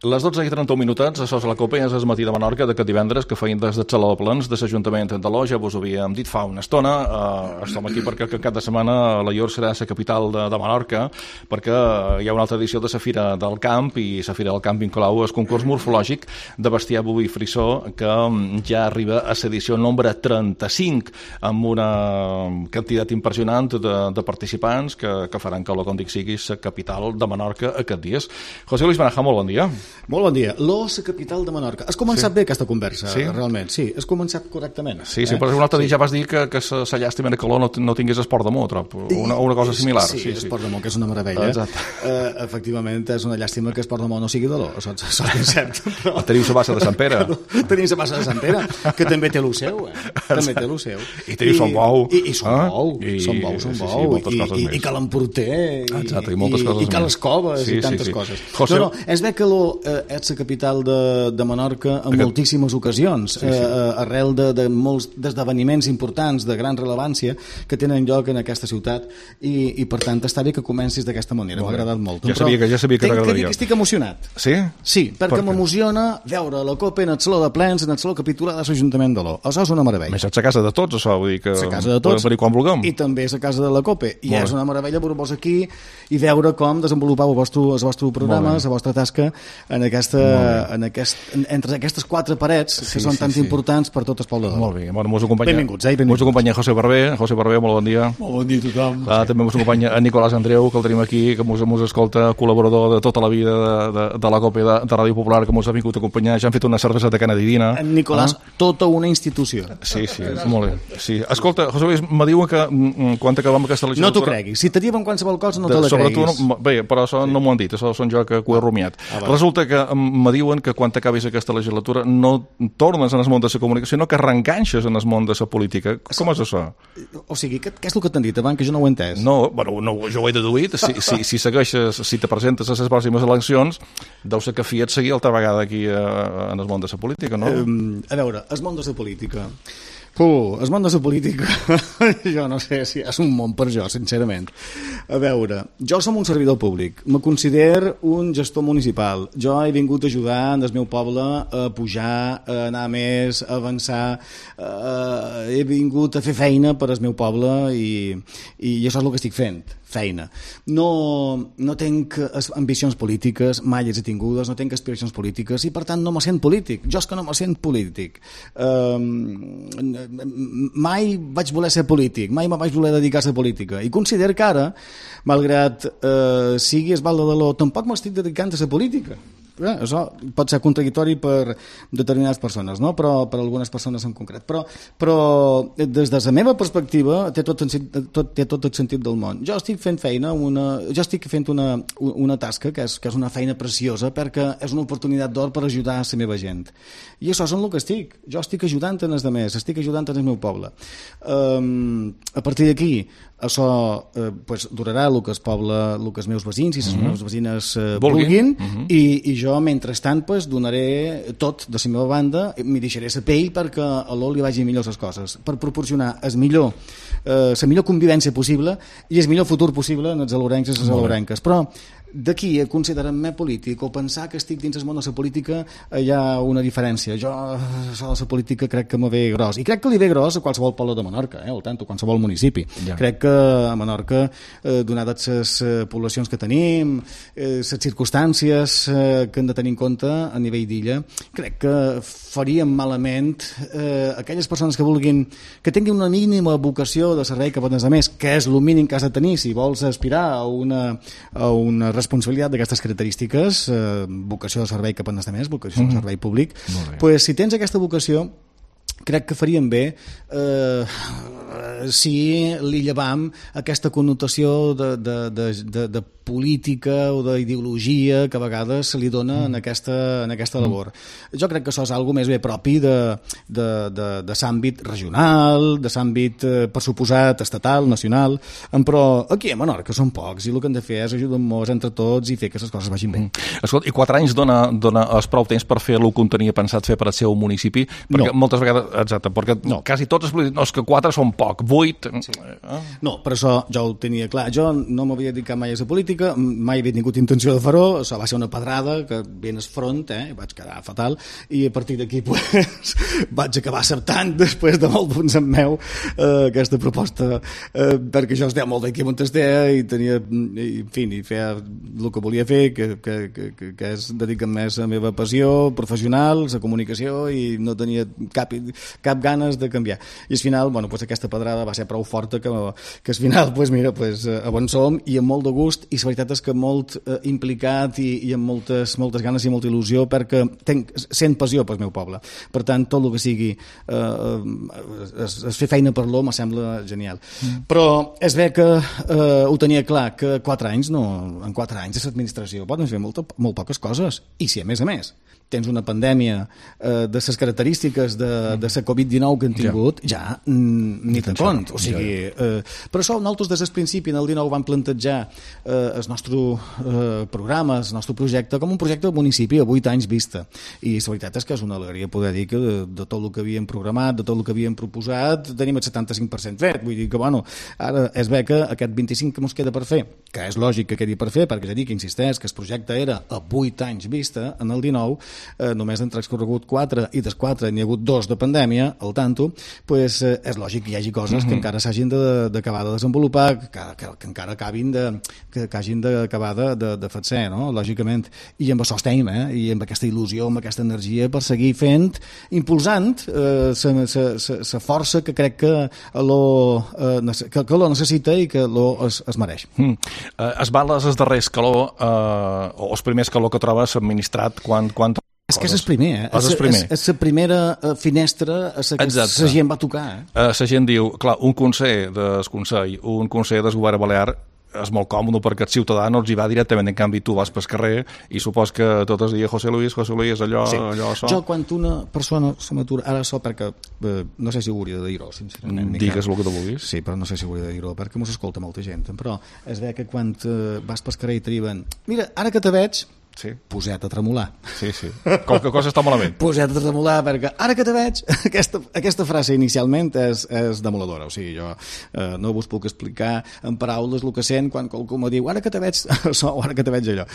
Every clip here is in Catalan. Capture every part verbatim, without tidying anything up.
Les dotze i trenta-un minutets, això és la Copa, és el matí de Menorca d'aquest divendres, que feien des de Xaló de Plens, de l'Ajuntament de l'O, ja vos ho havíem dit fa una estona. Uh, estem aquí perquè el cap de setmana la Llor serà la capital de, de Menorca, perquè hi ha una altra edició de la Fira del Camp, i la Fira del Camp inclou el concurs morfològic de bestiar boví frisó, que ja arriba a l'edició nombre trenta-cinc, amb una quantitat impressionant de, de participants que, que faran que l'O, com dic, sigui la capital de Menorca aquests dies. José Luis Baraja, molt bon dia. Molt bon dia. L'O, la capital de Menorca. Has començat sí. bé aquesta conversa, sí? realment. Sí, has començat correctament. Sí, sí, eh? però un altre sí. dia ja vas dir que, que la, la llàstima era que l'O no, no tingués esport de moto, una, una cosa similar. Sí, sí, sí. esport de moto, que és una meravella. Exacte. Uh, efectivament, és una llàstima que esport de moto no sigui de l'O, això és ben cert. Però... Teniu la bassa de Sant Pere. Tenim la bassa de Sant Pere, que també té el seu, eh? També té el seu. I teniu Son Bou. I, i Son eh? Bou, I, Son Bou, Son sí, Bou. Sí, I, i, i Cal Emporter. Exacte, i moltes coses I, i Cal Escoves, sí, i tantes sí, sí. coses. José... No, no, és bé que l'O eh, és la capital de, de Menorca en Aquest... moltíssimes ocasions, sí, sí. Eh, arrel de, de molts esdeveniments importants de gran rellevància que tenen lloc en aquesta ciutat, i, i per tant està bé que comencis d'aquesta manera. M'ha agradat molt. Ja sabia que, ja sabia que t'agradaria. Que estic emocionat. Sí? Sí, perquè m'emociona veure la Copa en el Saló de Plens, en el Saló Capitular de l'Ajuntament de l'O. Això és una meravella. Més és la casa de tots, això, vull dir que la casa de tots, podem venir quan vulguem. I també és la casa de la Copa. I és una meravella veure-vos aquí i veure com desenvolupau el vostre, el vostre programa, la vostra tasca en aquesta, en aquest, en, entre aquestes quatre parets que sí, són sí, tan sí. importants per tot el poble de l'O. Molt bé, bueno, mos acompanya, benvinguts, eh? Benvinguts. Mos acompanya José Barber. José Barber, molt bon dia. Molt bon dia a tothom. Ah, també mos acompanya en Nicolás Andreu, que el tenim aquí, que mos, mos escolta, col·laborador de tota la vida de, de, de la Copa de, de Ràdio Popular, que mos ha vingut a acompanyar. Ja han fet una cervesa de canadidina. En Nicolás, ah? tota una institució. Sí, sí, molt bé. Sí. Escolta, José Luis, me diuen que mm, quan acabem aquesta legislatura... No t'ho creguis. Si te diuen qualsevol cosa, no te la sobre creguis. Tu, no, bé, però això sí. no m'ho han dit, això són jo que ho he rumiat. Ah, Resulta que me diuen que quan acabis aquesta legislatura no tornes en el món de la comunicació, sinó que arrenganxes en el món de la política. Com és això? O sigui, què, què és el que t'han dit abans, que jo no ho he entès? No, bueno, no, jo ho he deduït. Si, si, si segueixes, si te presentes a les pròximes eleccions, deu ser que fiat seguir altra vegada aquí a, en el món de la política, no? Um, a veure, el món de la política... Uh, el món de la política, jo no sé si és un món per jo, sincerament. A veure, jo som un servidor públic, me considero un gestor municipal. Jo he vingut a ajudar en el meu poble a pujar, a anar més, a avançar. Uh, he vingut a fer feina per al meu poble i, i això és el que estic fent. Feina. No, no tenc ambicions polítiques, mai les he tingudes, no tenc aspiracions polítiques i per tant no me sent polític. Jo és que no me sent polític. Um, mai vaig voler ser polític, mai me vaig voler dedicar a ser política i considero que ara, malgrat uh, sigui esbalda de l'O, tampoc m'estic dedicant a ser política. Eh, això pot ser contradictori per determinades persones, no? Però per algunes persones en concret. Però, però des de la meva perspectiva té tot, tot, té tot el sentit del món. Jo estic fent feina, una, jo estic fent una, una tasca que és, que és una feina preciosa perquè és una oportunitat d'or per ajudar a la meva gent. I això és en el que estic. Jo estic ajudant en els altres, estic ajudant en el meu poble. Um, a partir d'aquí, això eh, pues, durarà el que el poble, el que els meus veïns i les mm-hmm. meves veïnes eh, vulguin, vulguin mm-hmm. i, i jo mentrestant pues, donaré tot de la meva banda, m'hi deixaré la pell perquè a l'O li vagi millor les coses, per proporcionar el millor, eh, la millor convivència possible i el millor futur possible en els alorencs i les alorenques. Però d'aquí a considerar-me polític o pensar que estic dins el món de la política hi ha una diferència. Jo això de la política crec que me ve gros i crec que li ve gros a qualsevol poble de Menorca, eh, o tant, a qualsevol municipi. Ja. Crec que a Menorca, eh, donades les eh, poblacions que tenim, eh, les circumstàncies eh, que hem de tenir en compte a nivell d'illa, crec que faríem malament eh, aquelles persones que vulguin, que tinguin una mínima vocació de servei cap a els altres, que és el mínim que has de tenir si vols aspirar a una, a una responsabilitat d'aquestes característiques, eh, vocació de servei cap a els altres, vocació de servei públic, pues, si tens aquesta vocació crec que faríem bé eh, si li llevam aquesta connotació de, de, de, de, de política o d'ideologia que a vegades se li dona mm. en aquesta, en aquesta labor. Mm. Jo crec que això és algo més bé propi de, de, de, de l'àmbit regional, de l'àmbit, eh, per suposat, estatal, nacional, però aquí a Menorca són pocs i el que hem de fer és ajudar-nos entre tots i fer que les coses vagin bé. Mm. Escolta, i quatre anys dona, dona es prou temps per fer el que tenia pensat fer per al seu municipi? Perquè no. moltes vegades, exacte, perquè no. quasi tots els polítics, no, és que quatre són poc, vuit... Sí. Eh? No, per això jo ho tenia clar. Jo no m'havia dedicat mai a la política, mai havia tingut intenció de fer-ho, això va ser una pedrada que ben es front, eh? Vaig quedar fatal, i a partir d'aquí pues, vaig acabar acceptant, després de molt punts en meu, eh, aquesta proposta, eh, perquè jo es deia molt d'aquí on es deia, i tenia, i, en fi, i feia el que volia fer, que, que, que, que és dedicar més a la meva passió professional, la comunicació, i no tenia cap, cap ganes de canviar. I al final, bueno, pues aquesta pedrada va ser prou forta que, que al final, pues mira, pues, on som, i amb molt de gust, i la veritat és que molt eh, implicat i, i amb moltes, moltes ganes i molta il·lusió, perquè tenc, sent passió pel meu poble. Per tant, tot el que sigui eh, es, es fer feina per l'home sembla genial. Mm. Però és bé que eh, ho tenia clar, que quatre anys, no, en quatre anys de l'administració poden fer molt, molt poques coses. I si a més a més tens una pandèmia eh, de les característiques de, de la covid dinou que han tingut, ja, ja ni te'n compte. O sigui, eh, per això nosaltres des del principi, en el dinou, vam plantejar eh, el nostre eh, programa, el nostre projecte, com un projecte de municipi a vuit anys vista. I la veritat és que és una alegria poder dir que de, de tot el que havíem programat, de tot el que havíem proposat, tenim el setanta-cinc per cent fet. Vull dir que, bueno, ara és bé que aquest vint-i-cinc que ens queda per fer, que és lògic que quedi per fer, perquè ja dic, insisteix, que el projecte era a vuit anys vista, en el dinou, eh, només han transcorregut quatre, i dels quatre n'hi ha hagut dos de pandèmia, al tanto, pues, eh, és lògic que hi hagi coses mm-hmm. que encara s'hagin d'acabar de, de desenvolupar, que, que, que encara acabin de, que, que hagin d'acabar de, de, de fer ser, no? Lògicament. I amb això estem, eh? I amb aquesta il·lusió, amb aquesta energia per seguir fent, impulsant la eh, força que crec que lo, eh, que, que lo necessita i que lo es, es mereix. Mm. Uh, es val els darrers calor, uh, o els primers calor que trobes administrat quan... quan... És que és el primer, eh? És, primer. és, és la primera finestra a la que la gent va tocar. Eh? Uh, la gent diu, clar, un conseller del Consell, un conseller del govern balear, és molt còmode perquè el ciutadà no els hi va directament, en canvi tu vas pel carrer i supos que tot es dia José Luis, José Luis, allò, sí. allò, això. Jo quan una persona se m'atura, ara això perquè eh, no sé si hauria de dir-ho, sincerament. Digues el que tu vulguis. Sí, però no sé si hauria de dir-ho, perquè mos escolta molta gent, però és bé que quan eh, vas pel carrer i triben, mira, ara que te veig, sí. Poset a tremolar. Sí, sí. Qualque cosa està malament. Poset a tremolar, perquè ara que te veig, aquesta, aquesta frase inicialment és, és demoladora. O sigui, jo eh, no vos puc explicar en paraules el que sent quan qualcú me diu ara que te veig això o ara que te veig allò.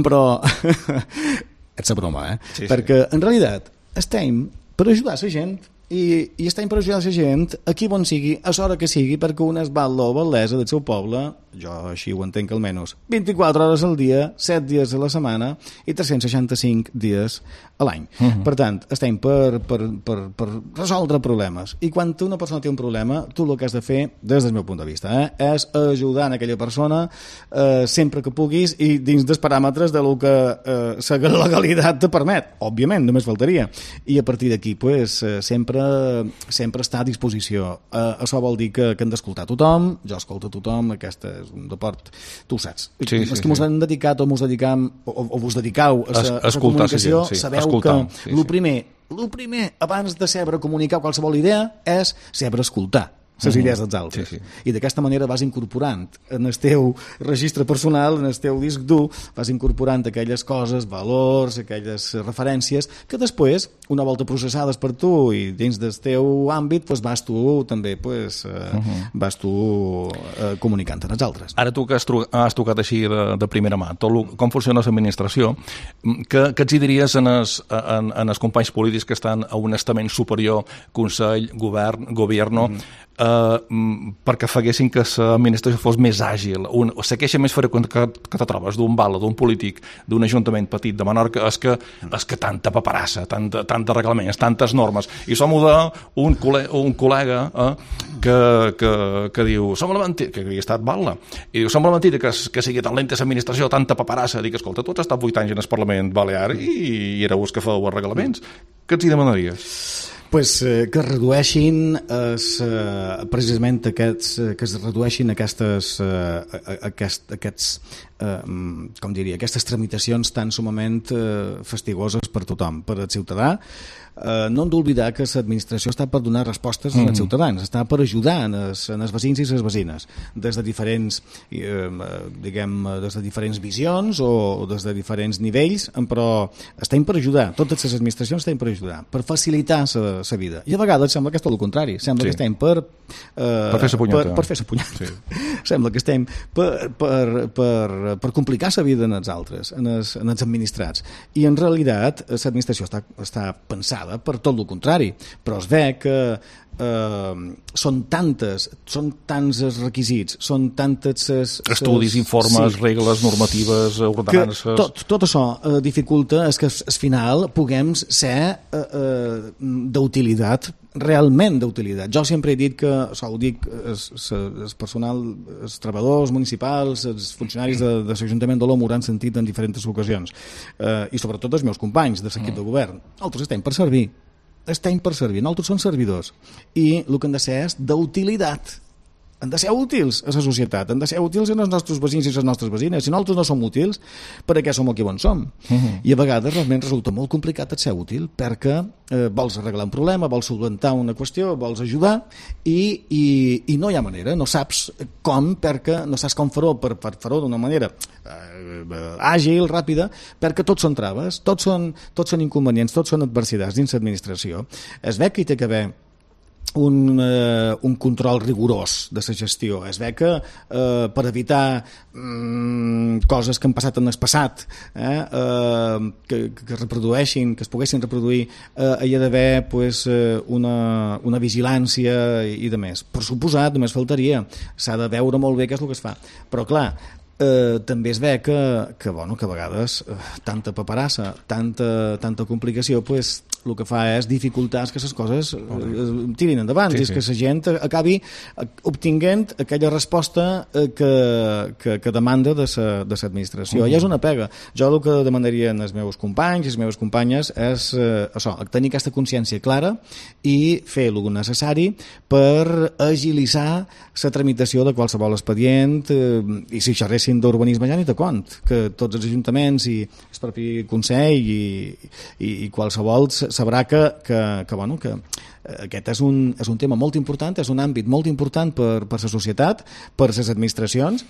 Però és la broma, eh? Sí, perquè sí. En realitat estem per ajudar la gent i, i estem per ajudar la gent aquí on sigui, a l'hora que sigui, perquè un es val la bellesa del seu poble, jo així ho entenc almenys, vint-i-quatre hores al dia, set dies a la setmana i tres-cents seixanta-cinc dies a l'any. Uh-huh. Per tant, estem per, per, per, per resoldre problemes. I quan una persona té un problema, tu el que has de fer, des del meu punt de vista, eh, és ajudar en aquella persona eh, sempre que puguis i dins dels paràmetres de lo que eh, la legalitat te permet. Òbviament, només faltaria. I a partir d'aquí, pues, eh, sempre, sempre està a disposició. Eh, això vol dir que, que hem d'escoltar tothom, jo escolto tothom, aquesta és un deport, tu ho saps. Sí, Els sí, que mos sí. han dedicat o mos dedicam o, o vos dedicau a la comunicació, sí, sabeu escoltar, que sí, el sí. primer, el primer abans de saber comunicar qualsevol idea és saber escoltar les uh-huh. idees dels altres. Sí, sí. I d'aquesta manera vas incorporant en el teu registre personal, en el teu disc dur, vas incorporant aquelles coses, valors, aquelles referències, que després, una volta processades per tu i dins del teu àmbit, pues vas tu també pues, eh, uh-huh. vas tu eh, comunicant amb els altres. Ara tu que has, tru- has tocat així de, de primera mà, tot lo, com funciona l'administració, que, que ets hi diries en els, en, en els companys polítics que estan a un estament superior, Consell, Govern, Gobierno, uh-huh. Uh, perquè faguessin que l'administració fos més àgil, un, o la queixa més freqüent que, que te trobes d'un bala, d'un polític, d'un ajuntament petit de Menorca és que, és que tanta paperassa, tanta, tanta reglaments, tantes normes, i som d'un col·lega, un col·lega eh, que, que, que diu som la mentida, que havia estat bala, i diu som la mentida que, que sigui tan lenta l'administració, tanta paperassa, dic, escolta, tu has estat vuit anys en el Parlament Balear i, i éreu els que feu els reglaments, què ets hi demanaries? Pues, eh, que es redueixin es, eh, precisament aquests, eh, que es redueixin aquestes, eh, aquest, aquests eh, com diria, aquestes tramitacions tan sumament eh, fastigoses per tothom, per al ciutadà. Eh, no hem d'oblidar que l'administració està per donar respostes mm. als ciutadans, està per ajudar en els, en els veïns i les veïnes, des de diferents eh, diguem, des de diferents visions o des de diferents nivells, però estem per ajudar, totes les administracions estem per ajudar, per facilitar la la vida. I a vegades sembla que és tot el contrari. Sembla sí. que estem per... Eh, per fer la punyeta. Per, per fer la punyeta. Sí. Sembla que estem per, per, per, per complicar la vida en els altres, en els, en els administrats. I en realitat l'administració està, està pensada per tot el contrari. Però es ve que Uh, són tantes, són tants els requisits, són tantes ses, estudis, ses, informes, sí, regles, normatives, ordenances... Tot, tot això uh, dificulta és que al final puguem ser uh, uh, d'utilitat, realment d'utilitat. Jo sempre he dit que, això ho dic, el personal, els treballadors municipals, els funcionaris de, de l'Ajuntament de l'O M ho han sentit en diferents ocasions, uh, i sobretot els meus companys de l'equip de govern. Nosaltres estem per servir. Estem per servir, nosaltres som servidors i el que han de ser és d'utilitat, han de ser útils a la societat, han de ser útils als nostres veïns i a les nostres veïnes. Si nosaltres no som útils, per què som aquí on som? Uh-huh. I a vegades realment resulta molt complicat ser útil perquè eh, vols arreglar un problema, vols solventar una qüestió, vols ajudar i, i, i no hi ha manera, no saps com, perquè no saps com fer-ho per, per fer-ho d'una manera eh, àgil, ràpida, perquè tots són traves, tots són, tots són inconvenients, tots són adversitats dins l'administració. Es ve que hi té que haver Un, eh, un control rigorós de la gestió. Es ve que eh, per evitar mm, coses que han passat en el passat eh, eh, que, que es reprodueixin, que es poguessin reproduir, eh, hi ha d'haver pues, una, una vigilància i, i de més. Per suposat, només faltaria, s'ha de veure molt bé què és el que es fa, però clar, Eh, també es ve que, que, bueno, que a vegades eh, tanta paperassa, tanta, tanta complicació, pues, el que fa és dificultar que les coses eh, tirin endavant, sí, i és sí. que la gent acabi obtinguent aquella resposta eh, que, que, que demanda de l'administració. Uh -huh. I és una pega. Jo el que demandarien els meus companys i les meves companyes és eh, això, tenir aquesta consciència clara i fer el necessari per agilitzar la tramitació de qualsevol expedient eh, i si xerressin d'urbanisme ja ni te cont, que tots els ajuntaments i el propi Consell i, i, i qualsevol sabrà que, que, que, bueno, que aquest és un, és un tema molt important, és un àmbit molt important per, per la societat, per les administracions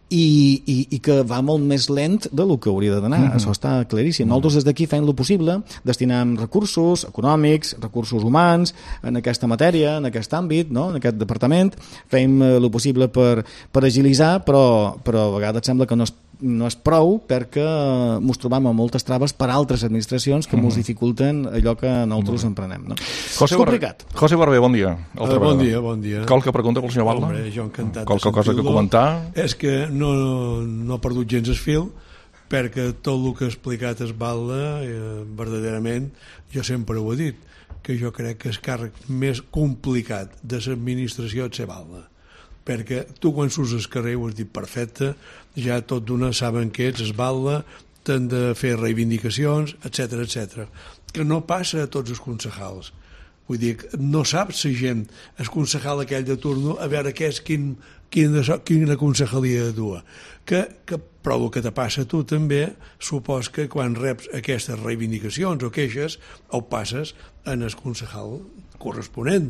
i, i, i que va molt més lent de lo que hauria d'anar, mm-hmm. això està claríssim. Mm-hmm. Nosaltres des d'aquí fem el possible, destinem recursos econòmics, recursos humans en aquesta matèria, en aquest àmbit, no? En aquest departament, fem el possible per, per agilitzar, però, però a vegades sembla que no és no és prou perquè ens trobam amb moltes traves per altres administracions que ens mm. dificulten allò que nosaltres emprenem. No? José és complicat. Bar José Barber, bon dia. Uh, bon dia, bon dia. Qualque pregunta pel senyor Balda? Hombre, jo encantat Qualque cosa que comentar? És que no, no he perdut gens el fil perquè tot el que ha explicat es Balda, eh, verdaderament, jo sempre ho he dit, que jo crec que el càrrec més complicat de l'administració és ser Balda. Perquè tu quan surts al carrer, ho has dit perfecte, ja tot d'una saben que ets, es Balda, t'han de fer reivindicacions, etcètera, etcètera. Que no passa a tots els concejals. Vull dir, no saps la gent, el concejal aquell de turno, a veure què és, quin, quin, quina concejalia dua. Que, que, però el que te passa a tu també, supos que quan reps aquestes reivindicacions o queixes, ho passes en el concejal corresponent,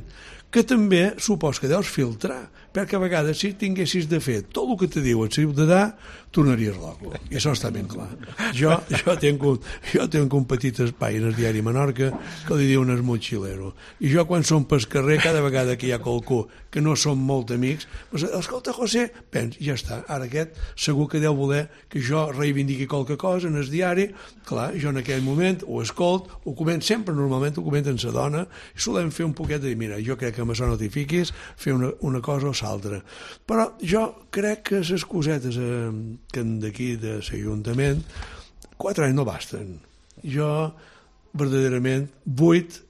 que també supos que deus filtrar, perquè a vegades si tinguessis de fer tot el que te diu el ciutadà, tornaries loco, i això està ben clar. Jo, jo, tinc un, jo tinc un petit espai en el diari Menorca que li diuen el motxilero, i jo quan som pel carrer, cada vegada que hi ha qualcú que no som molt amics, doncs, escolta José, pens, ja està, ara aquest segur que deu voler que jo reivindiqui qualque cosa en el diari, clar, jo en aquell moment ho escolt, ho comento, sempre normalment ho comento amb la dona, i solem fer un poquet de dir, mira, jo crec que amb això no t'hi fiquis, fer una, una cosa o l'altra. Però jo crec que les cosetes eh, que d'aquí de l'Ajuntament, quatre anys no basten. Jo, verdaderament, vuit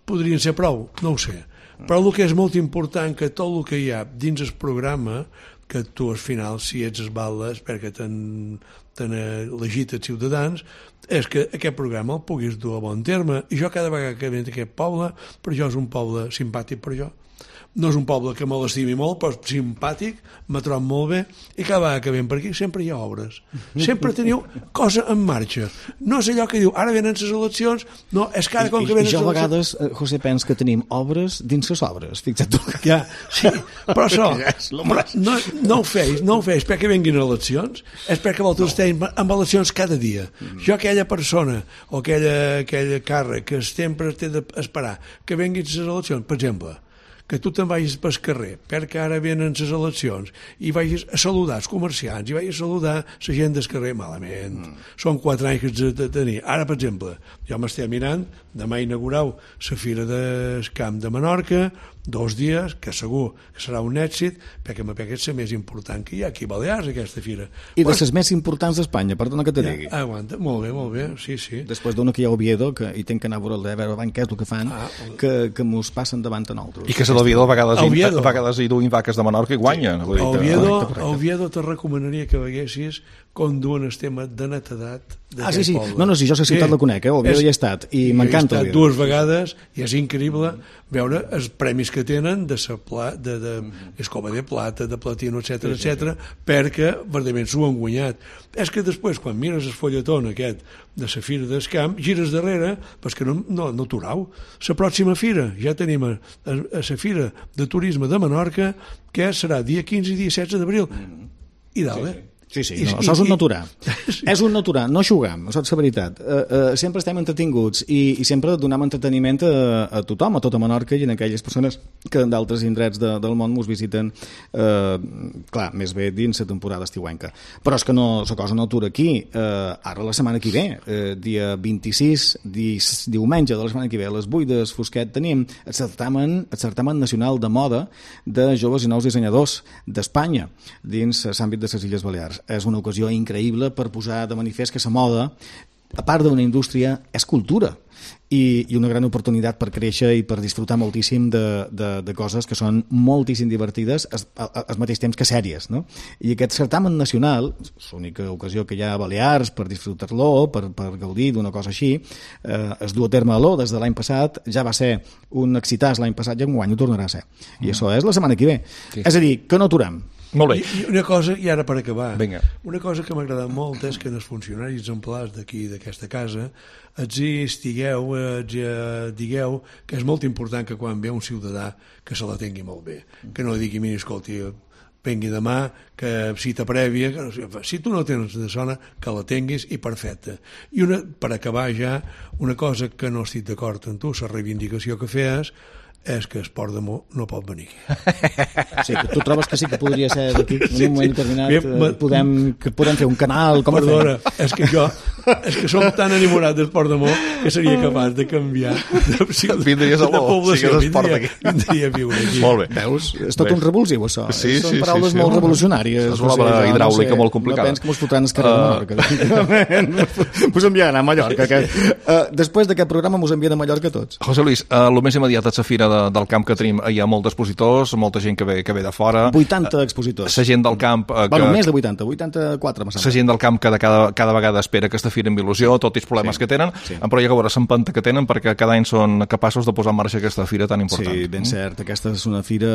podrien ser prou, no ho sé. Però el que és molt important, que tot el que hi ha dins el programa, que tu al final, si ets es Balda, perquè t'han elegit els ciutadans, és que aquest programa el puguis dur a bon terme. I jo cada vegada que vinc a aquest poble, per jo és un poble simpàtic per jo. No és un poble que me l'estimi molt, però és simpàtic, me trobo molt bé, i cada vegada que ven per aquí sempre hi ha obres. Sempre teniu cosa en marxa. No és allò que diu, ara venen les eleccions, no, és cada com que venen les eleccions. I jo a vegades, José, pens que tenim obres dins les obres, fixa't tu. Ja, sí, però això, no, no ho feis, no ho feis perquè venguin eleccions, és perquè vosaltres amb eleccions cada dia. Mm. Jo aquella persona o aquella, aquella càrrec que sempre té d'esperar que venguin les eleccions, per exemple, que tu te'n vagis pel carrer, perquè ara venen les eleccions, i vagis a saludar els comerciants, i vagis a saludar la gent del carrer, malament. Mm. Són quatre anys que ets de tenir. Ara, per exemple, jo m'estic mirant, demà inaugurau la Fira del Camp de Menorca, dos dies, que segur que serà un èxit, perquè m'ha pegat la més important que hi ha aquí a Balears, aquesta fira. I de les més importants d'Espanya, perdona que te digui. Ja, aguanta, molt bé, molt bé, sí, sí. Després d'una que hi ha a Oviedo, que hi tenc que anar a veure, a veure què és el que fan, ah, que, que mos passen davant a nosaltres. I que a l'Oviedo a vegades, Oviedo. a vegades hi duin vaques de Menorca i guanyen. Sí. A Oviedo, a Oviedo te recomanaria que veguessis com duen el tema de netedat ah, sí, sí. Poble. No, no, si jo la ciutat sí. la conec, eh? Oviedo és, hi he estat, i m'encanta Oviedo. Dues vegades, i és increïble veure els premis que tenen de, pla, de, de escova de plata, de platino, etcètera, sí, sí, etcètera, sí. perquè verdament s'ho han guanyat. És que després, quan mires el folletón aquest de la Fira del Camp, gires darrere, però que no, no, no t'urau. La pròxima fira, ja tenim a, a, a la Fira de Turisme de Menorca, que serà dia quinze i dia setze d'abril. I dalt, sí, sí. Sí, sí, no, això és un naturà. Sí. És un naturà, no xugam, això és la veritat. Uh, uh, sempre estem entretinguts i, i sempre donem entreteniment a, a tothom, a tota Menorca i a aquelles persones que d'altres indrets de, del món ens visiten, uh, clar, més bé dins la temporada estiuenca. Però és que no, la cosa no atura aquí. Uh, ara la setmana que ve, uh, dia vint-i-sis, di, diumenge de la setmana que ve, a les vuit del Fosquet, tenim el certamen, el certamen nacional de moda de joves i nous dissenyadors d'Espanya dins l'àmbit de les Illes Balears. És una ocasió increïble per posar de manifest que la moda, a part d'una indústria, és cultura i, i una gran oportunitat per créixer i per disfrutar moltíssim de, de, de coses que són moltíssim divertides al mateix temps que sèries, no? I aquest certamen nacional, l'única ocasió que hi ha a Balears per disfrutar-lo, per, per gaudir d'una cosa així, eh, es du a terme a l'O des de l'any passat, ja va ser un excitàs l'any passat i enguany ho tornarà a ser. I mm. això és la setmana que ve. Sí. És a dir, que no aturem. Molt bé. I, I una cosa, i ara per acabar, Vinga. una cosa que m'ha agradat molt és que els funcionaris exemplars d'aquí, d'aquesta casa, els hi estigueu, els hi digueu que és molt important que quan ve un ciutadà que se la tingui molt bé, que no digui, mira, escolti, vengui demà, que cita prèvia, que, si tu no tens de zona, que la tinguis i perfecte. I una, per acabar ja, una cosa que no estic d'acord amb tu, la reivindicació que feies, és que Esport de Mo no pot venir aquí. Sí, que tu trobes que sí que podria ser d'aquí, en un moment determinat, sí, sí. Podem, que podem fer un canal, com Perdona, és que jo, és que som tan enamorat d'Esport de Mo que seria capaç de canviar de, de, vindries a de població, si vindria, vindria a viure aquí. Molt bé. Veus? És tot Bé. un revulsiu, això. Sí, Són sí, paraules sí, sí, molt sí. revolucionàries. És una obra hidràulica no sé, molt complicada. No penso que mos fotran el carrer de Menorca. Mos enviaran a Mallorca. Que, uh, després d'aquest programa mos envien a Mallorca tots. José Luis, uh, el més immediat a la fira de, del camp que tenim, hi ha molts expositors, molta gent que ve, que ve de fora. vuitanta expositors. La gent del camp... Uh, que, bueno, més de vuitanta, vuitanta-quatre. La gent del camp que de cada, cada vegada espera aquesta fira amb il·lusió, tot i els problemes sí, que tenen, sí. però hi ha que veure l'empenta que tenen perquè cada any són capaços de posar en marxa aquesta fira tan important. Sí, ben cert. Aquesta és una fira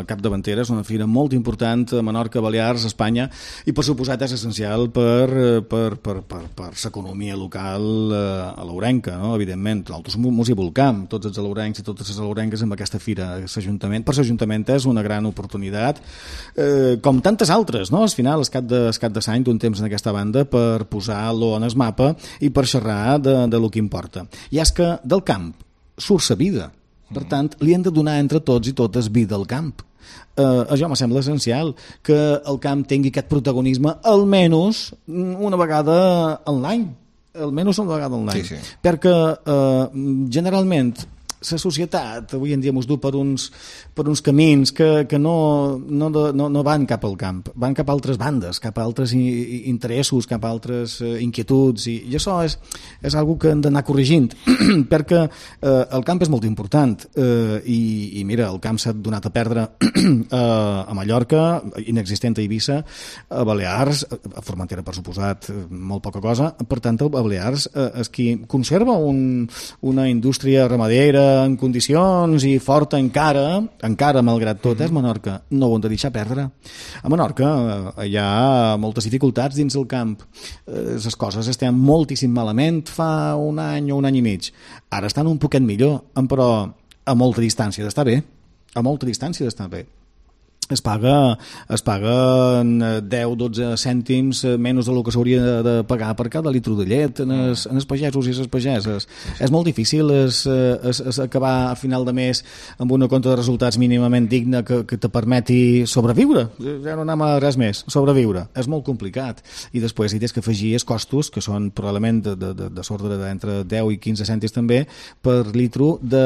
capdavantera, és una fira molt important a Menorca, Balears, Espanya, i per suposat és essencial per, per, per, per, per l'economia local a l'Ourenca, no? Evidentment. Nosaltres mos hi volcam, tots els alaurencs i totes les alaurenques amb aquesta fira. L'Ajuntament, per l'Ajuntament és una gran oportunitat, eh, com tantes altres, no? Al final, el cap de, el cap de l'any d'un temps en aquesta banda per posar-lo en el mapa i per xerrar de, de lo que importa. I és que del camp surt la vida. Per tant, li hem de donar entre tots i totes vida al camp. Uh, això me sembla essencial, que el camp tingui aquest protagonisme almenys una vegada a l'any. Almenys una vegada a l'any. Sí, sí. Perquè uh, generalment la societat avui en dia ens du per uns, per uns camins que, que no, no, no, no van cap al camp, van cap a altres bandes, cap a altres interessos, cap a altres inquietuds, i, i això és, és una que hem d'anar corregint, perquè eh, el camp és molt important, eh, i, i mira, el camp s'ha donat a perdre eh, a Mallorca, inexistent a Eivissa, a Balears, a Formentera, per suposat, molt poca cosa, per tant, a Balears eh, és qui conserva un, una indústria ramadera en condicions i forta encara, encara malgrat tot, és Menorca. No ho hem de deixar perdre. A Menorca eh, hi ha moltes dificultats dins el camp. Eh, les coses estan moltíssim malament fa un any o un any i mig. Ara estan un poquet millor, però a molta distància d'estar bé. A molta distància d'estar bé. es paga, es paguen deu dotze cèntims menys del que s'hauria de, de pagar per cada litre de llet en els, en els pagesos i les pageses. És molt difícil es, es, es acabar a final de mes amb una compta de resultats mínimament digna que, que te permeti sobreviure. Ja no anem a res més, sobreviure. És molt complicat. I després hi tens que afegir els costos, que són probablement de, de, de, de l'ordre d'entre deu i quinze cèntims també, per litro de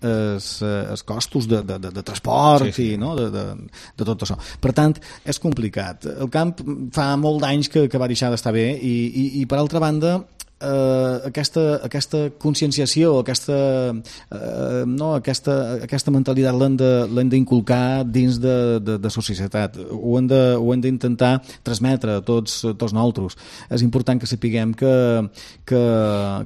es, es costos de, de, de, de transport sí, sí. i no? de, de de tot això. Per tant, és complicat. El camp fa molt d'anys que, que va deixar d'estar bé i, i, i per altra banda eh, aquesta, aquesta conscienciació, aquesta, eh, no, aquesta, aquesta mentalitat l'hem d'inculcar dins de, de, de la societat. Ho hem, de, ho hem d'intentar transmetre a tots, a tots nosaltres. És important que sapiguem que, que,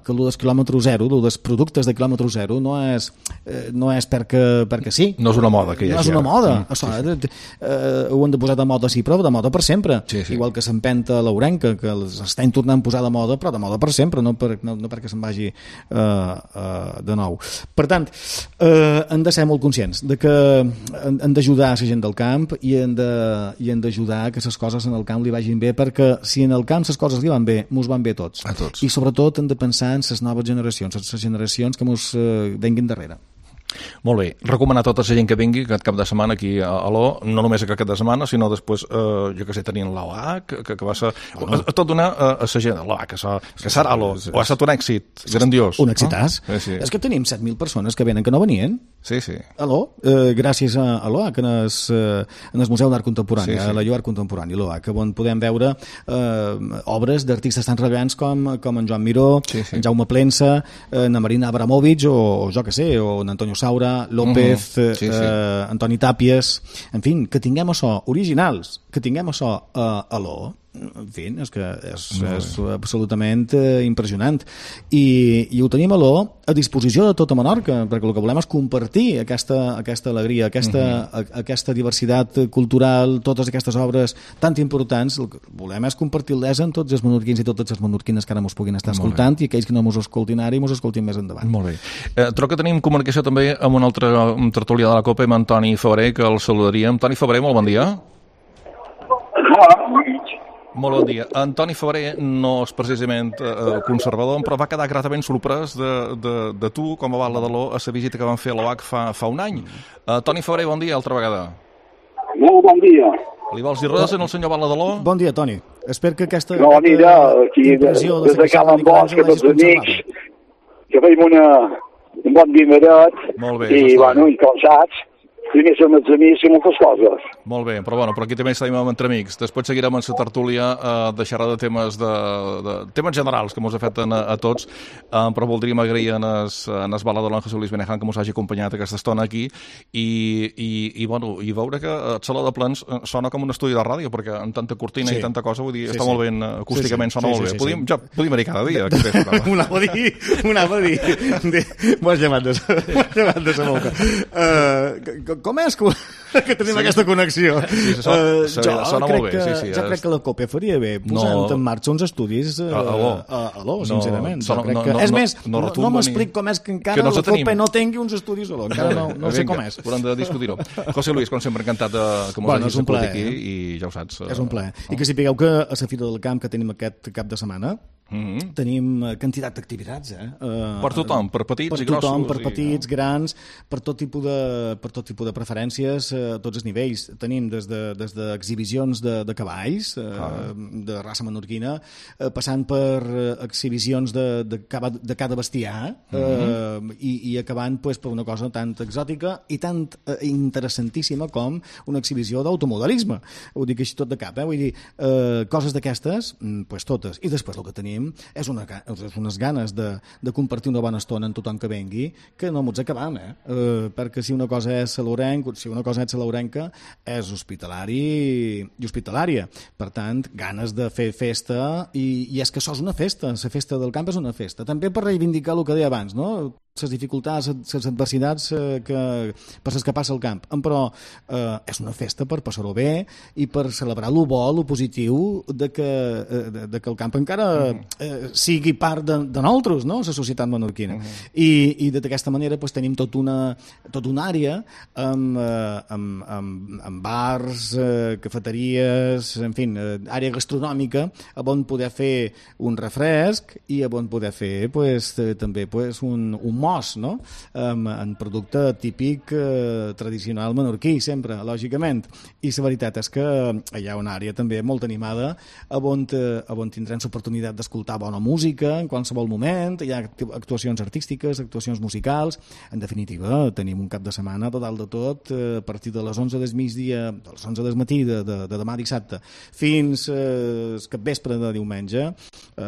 que el dels quilòmetre zero, el dels productes de quilòmetre zero, no és, eh, no és perquè, perquè sí. No és una moda que hi ha. No és una moda. Mm, Això, sí, sí. Eh, ho hem de posar de moda sí, però de moda per sempre. Sí, sí. Igual que s'empenta l'Ourenca, que l'estem tornant a posar de moda, però de moda per sempre, no, per, no, no perquè se'n vagi uh, uh, de nou. Per tant, uh, hem de ser molt conscients de que hem d'ajudar a la gent del camp i hem de, i hem d'ajudar que les coses en el camp li vagin bé, perquè si en el camp les coses li van bé, mos van bé tots. A tots. I sobretot hem de pensar en les noves generacions, en les generacions que mos uh, venguin darrere. Molt bé, recomanar a tota la gent que vingui aquest cap de setmana aquí a Aló, no només aquest cap de setmana, sinó després, eh, jo que sé, tenint l'O A C, que, que va ser... Bueno. A, a tot donar a, a la gent, l'O A C, que, que serà Aló, o ha estat un èxit grandiós. Un èxitàs. No? Sí, sí. És que tenim set mil persones que venen que no venien. Sí, sí. Aló, eh, gràcies a, a l'O A C, en el, eh, en el Museu d'Art Contemporani, sí, sí. a la Llur Art Contemporani, l'O A C, on podem veure eh, obres d'artistes tan rellevants com, com en Joan Miró, sí, sí. en Jaume Plensa, en Marina Abramovic, o, o jo que sé, o en Antonio Saura, López, uh -huh. sí, sí. Eh, Antoni Tàpies, en fi, que tinguem això originals, que tinguem això a eh, Aló, en fi, és que és, és absolutament eh, impressionant. I, i ho tenim a Aló a disposició de tota Menorca, perquè el que volem és compartir aquesta, aquesta alegria, aquesta, uh -huh. a, aquesta diversitat cultural, totes aquestes obres tan importants. El que volem és compartir-les amb tots els menorquins i totes les menorquines que ara mos puguin estar escoltant i aquells que no mos escoltin ara i mos escoltin més endavant. Molt bé. Eh, trobo que tenim comunicació també amb un altre un tertulià de la Copa, amb Antoni Febrer, que el saludaríem. Antoni Febrer, molt bon dia. Molt bon dia. Antoni Febrer no és precisament eh, conservador, però va quedar gratament sorprès de, de, de tu, com a bala de l'O, a la visita que van fer a l'O A C fa, fa un any. Uh, Toni Febrer, bon dia, altra vegada. Molt bon dia. Li vols dir res al senyor Bala de l'O? Bon dia, Toni. Espero que aquesta no, mira, aquí, impressió des de Cal Bosch, que tots amics, que feim una, un bon dineret, molt bé, i, bueno, i com saps, primer som els amics i moltes coses. Molt bé, però bueno, però aquí també estem entre amics. Després seguirem en la tertúlia eh, de xerrar de temes de, de temes generals que ens afecten a, a tots, eh, però voldríem agrair en es, en es Bala de l'O, Jesús Luis Benejan, que ens hagi acompanyat aquesta estona aquí i, i, i, bueno, i veure que el Saló de Plens sona com un estudi de ràdio, perquè amb tanta cortina sí. i tanta cosa, vull dir, sí, està sí. molt ben, acústicament sí, sí. sona sí, molt sí, bé. Sí, podíem, sí. Ja, podíem anar cada dia. Ho anava a dir, ho anava a dir. M'ho has llevat de sa boca. Uh, com és que, que tenim sí. aquesta connexió? Sí, se sona, uh, se, jo sona molt bé. Que, sí, sí, jo és... crec que la COPE faria bé posant no. en marxa uns estudis uh, a Aló, a Aló sincerament. No, crec no, que... no, és més, no, no, no m'explic com és que encara que no la COPE no tingui uns estudis a Aló. Encara no, no sé com és. Haurem de discutir-ho. José Luis, com sempre, encantat de, que mos bueno, hagis escoltat aquí eh? i ja ho saps. És un plaer. I que sapigueu que a la Fira del Camp que tenim aquest cap de setmana Mm-hmm. tenim quantitat d'activitats eh? uh, per tothom, per petits per i grossos tothom, per petits, i... grans, per tot tipus de, per tot tipus de preferències a uh, tots els nivells. Tenim des de, des d'exhibicions de, de cavalls uh, ah. de raça menorquina, uh, passant per uh, exhibicions de, de, cava, de cada bestiar mm-hmm. uh, i, i acabant pues, per una cosa tan exòtica i tan uh, interessantíssima com una exhibició d'automodelisme. Ho dic així tot de cap, eh? Vull dir, uh, coses d'aquestes, pues, totes. I després el que tenim és, una, és unes ganes de, de compartir una bona estona amb tothom que vengui, que no m'ho acabam, eh? Uh, perquè si una cosa és salaurenc, si una cosa és salaurenca, és hospitalari i hospitalària. Per tant, ganes de fer festa, i, i és que això és una festa, la festa del camp és una festa. També per reivindicar el que deia abans, no? Les dificultats, les adversitats eh, que, per les que passa al camp. Però eh, és una festa per passar-ho bé i per celebrar lo bo, lo positiu de que, eh, de, de que el camp encara, eh, sigui part de, de nosaltres, no?, la societat menorquina. Uh -huh. I, i d'aquesta manera pues, tenim tot una, tot una àrea amb, eh, amb, amb, amb bars, eh, cafeteries, en fi, eh, àrea gastronòmica, on poder fer un refresc i on poder fer pues, eh, també pues, un, un mos, no?, amb, en producte típic eh, tradicional menorquí, sempre, lògicament. I la veritat és que hi ha una àrea també molt animada on, eh, on tindrem l'oportunitat d'escoltar bona música en qualsevol moment, hi ha actuacions artístiques, actuacions musicals, en definitiva tenim un cap de setmana total de tot, eh, a partir de les onze del migdia, de les onze del matí de, de, de demà dissabte, fins eh, el capvespre de diumenge. Eh,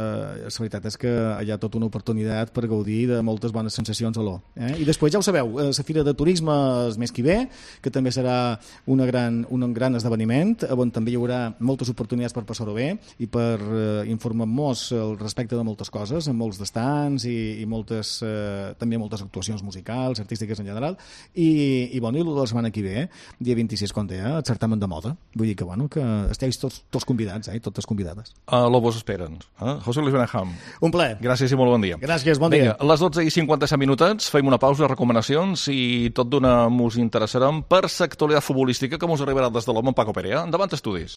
la veritat és que hi ha tota una oportunitat per gaudir de moltes bones sensacions a l'O. Eh? I després ja ho sabeu, eh, la Fira de Turisme el mes que ve, que també serà una gran, un gran esdeveniment, on també hi haurà moltes oportunitats per passar-ho bé i per eh, informar-nos al respecte de moltes coses, amb molts d'estants i, i moltes, eh, també moltes actuacions musicals, artístiques en general, i, i bueno, i la setmana que ve, dia vint-i-sis, com deia, el certamen de moda. Vull dir que, bueno, que esteu tots, tots convidats, eh, totes convidades. A uh, Lobos esperen. Eh? José Luis Benaham. Un plaer. Gràcies i molt bon dia. Gràcies, bon Vinga, dia. a les dotze i cinquanta-set minutets fem una pausa, recomanacions, i tot d'una mos interessarem per l'actualitat futbolística que mos arribarà des de l'home Paco Perea. Endavant, estudis.